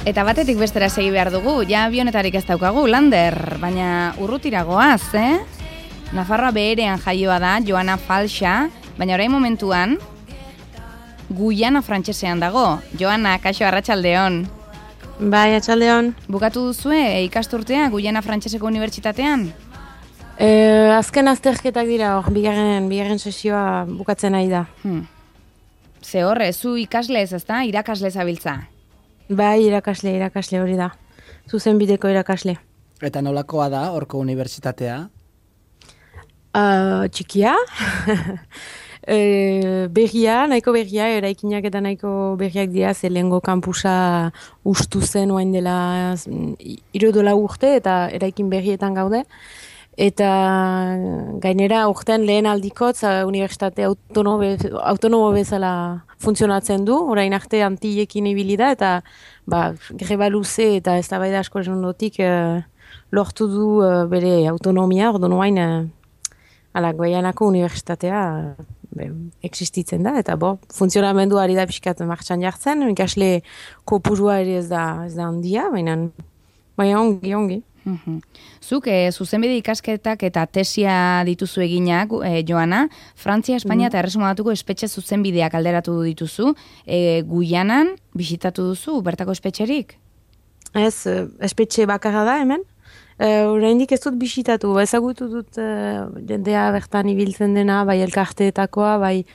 Eta batetik bestera segi behar dugu, ja abionetarik ez daukagu, Lander, baina urrutiragoaz, Nafarroa beherean jaioa da, Joana Falxa, baina orain momentuan, Guyana frantsesean dago. Joana, kaixo, arratsaldeon. Bai, arratsaldeon. Bukatu duzue ikasturtea Guyana Frantseseko Unibertsitatean? Azken azterketak dira, bigarren sesioa bukatzen ari da. Ze horre, zu ikasle ez da, irakasle zabiltza? Bai, irakasle hori da. Zuzenbideko irakasle. Eta nolakoa da, horko unibertsitatea? Txikia. Nahiko berria, eraikinak eta nahiko berriak dira, ze lehengo kampusa ustu zen oain dela 3 urte eta eraikin berrietan gaude. Eta gainera urtean lehen aldikotz unibertsitate autonomo bezala funtzionatzen du, orain arte Antillekin ibili da, eta greba luze eta eztabaida asko ondotik lortu du bere autonomia, orduan orain Guyanako unibertsitatea existitzen da, eta funtzionamendu ari da pixkat martxan jartzen, ikasle kopurua ere ez da handia, baina ongi. Zuk zuzenbide ikasketak eta tesia dituzu eginak, Joana, Frantzia, Espainia eta Erresuma Batuko espetxe zuzenbideak alderatu dituzu, Guyanan bisitatu duzu, bertako espetxerik? Ez, espetxe bakarra da hemen, oraindik ez dut bisitatu, ezagutu dut jendea bertan ibiltzen dena, bai elkarteetakoa, bai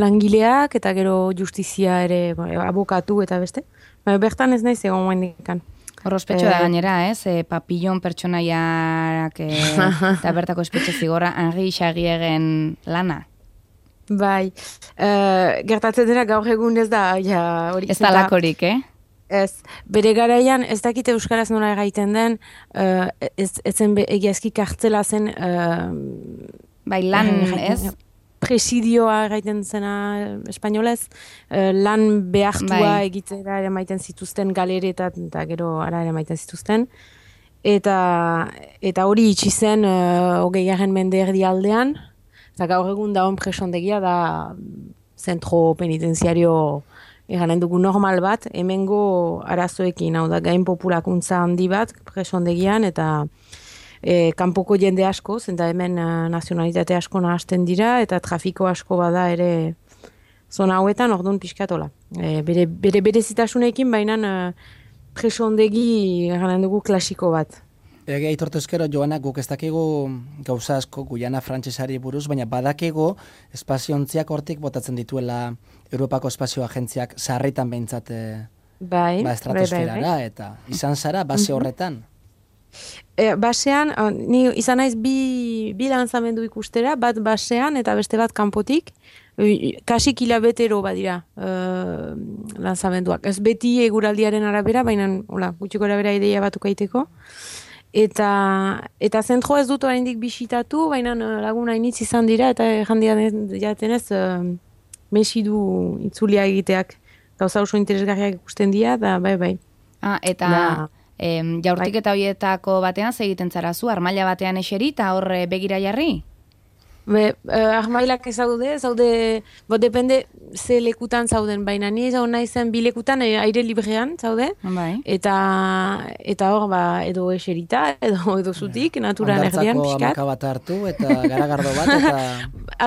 langileak, eta gero justizia ere, abokatu eta beste, bertan ez naiz egon momendikan. Horrospetxo da gainera, papillon pertsonaiak eta bertako espetxe zigorra Henri Xagiegen lana. Bai, gertatzen dena gaur egun ez da hori. Ez da lakorik, Ez, bere garaian ez dakite euskaraz nola egiten den, etzen egiazki kartzela zen... Bai, lan, ez? Presidioa egiten zena espainolez, lan behartua egitera ere maiten zituzten galeretan, eta gero ara ere maiten zituzten. Eta hori itxi zen 20. mende erdialdean, eta gaur egun da presondegia da zentro penitenziario eganen dugu normal bat, hemengo arazoekin, hau da gain populakuntza handi bat presondegian, eta kanpoko jende asko, zenta hemen nazionalitate asko nahasten dira, eta trafiko asko bada ere zona hauetan, orduan pixkatola. Bere berezitasunekin, baina presondegi eganen dugu klasiko bat. Aitortu ezkero, Joana, guk ez dakigu gauza asko Guyana frantsesari buruz, baina badakigu espaziontziak hortik botatzen dituela Europako Espazio Agentziak sarritan behintzat estratosferara, eta izan zara base horretan? Basean, ni izan naiz bi lanzamendu ikustera, bat basean eta beste bat kanpotik, kasi kilabetero badira lanzamenduak. Ez beti eguraldiaren arabera, baina gutxiko arabera ideia batuk aiteko. Eta zentro ez dut oraindik bisitatu, baina lagun hainitz izan dira, eta jandian jatenez mesidu itzulia egiteak gauza oso interesgarriak ikusten dira, da bai. Eta... jaurtik eta horietako batean egiten zara zu, armaila batean eseri eta hor begira jarri? Armailak zaude, depende ze lekutan zauden, baina ni zauden naizen bi lekutan aire librean zaude, eta hor edo eserita, edo zutik, naturan erdian pixkat. Ondartzako amaka bat hartu, eta garagardo bat, eta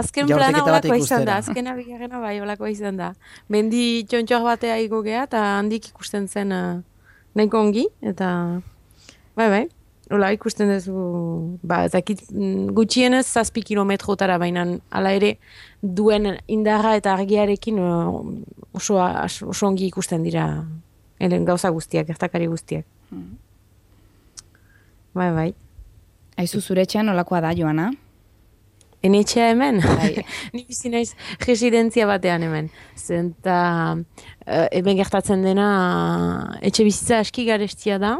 azken plana olakoa izan da, azken abigarrena olakoa izan da. Mendi txontxoak batea igogea, eta handik ikusten zen nahiko ongi, eta bai, hola ikusten duzu, ezakit gutxienez 7 kilometrotara, baina hala ere duen indarra eta argiarekin oso ongi ikusten dira gauza guztiak, gertakari guztiak. Bai. Aizu zure etxean nolakoa da, Joana? Enetxea hemen? Ni bizi naiz residentzia batean hemen. Zenta hemen gertatzen dena etxe bizitza aski garestia da.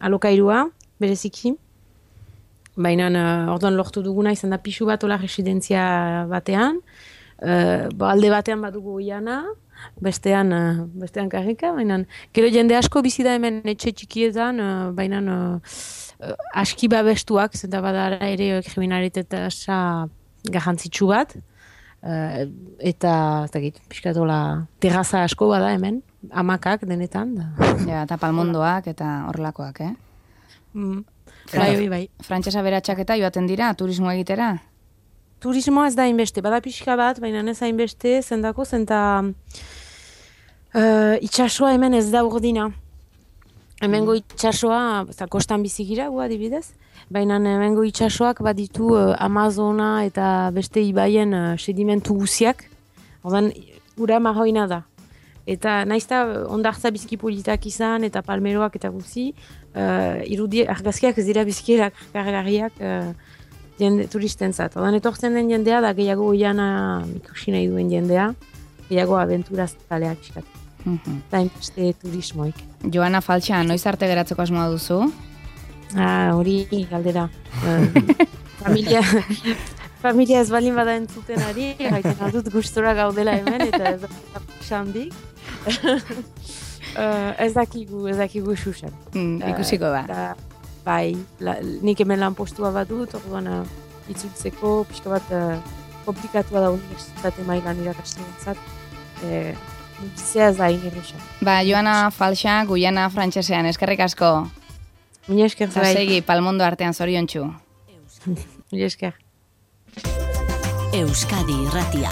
Alokairua, bereziki. Baina orduan lortu duguna izan da pixu bat ola residentzia batean. Alde batean badugu Guyana, bestean karrika, baina gero jende asko bizi da hemen etxe txikietan, baina aski babestuak, zenta badara ere kriminalitatesa garrantzitsu bat, eta pixkatola terraza asko bada hemen, hamakak denetan. Ja, eta palmondoak eta horrelakoak, Bai. Frantsesa beratxak eta joaten dira, turismo egitera? Turismoa ez da hainbeste, bada pixka bat, baina ez hainbeste, zendako, itxasoa hemen ez da urdina. Hemengo itxasoa, kostan bizigira, adibidez, baina hemengo itxasoak baditu Amazona eta beste ibaien sedimentu guziak, ordan ura marroina da. Eta naizta ondartza bizki politak izan eta palmeroak eta guzi, argazkiak ez dira bizkiak kargarriak turistentzat. Ordan etortzen den jendea da gehiago oiana ikusi nahi duen jendea, gehiago abenturaz taleak iskat. Eta inbeste turismoik. Joana Falxa, noiz arte geratzeko asmoa duzu? Hori galdera. Familia ez balin bada entzuten ari, gaiten aldut gustora gaudela hemen, eta ez da xandik. Ez dakigu xuxan. Ikusiko da. Bai, nik hemen lan postua bat dut, orduan itzultzeko, pixka bat komplikatua da unibertsitate mailan irakasten entzat. Bizia ez da inerrexan. Joana Falxa, Guyana frantsesean, eskerrik asko. Mila esker zai. Segi, palmondo artean zoriontsu. Mila esker. Euskadi Irratia.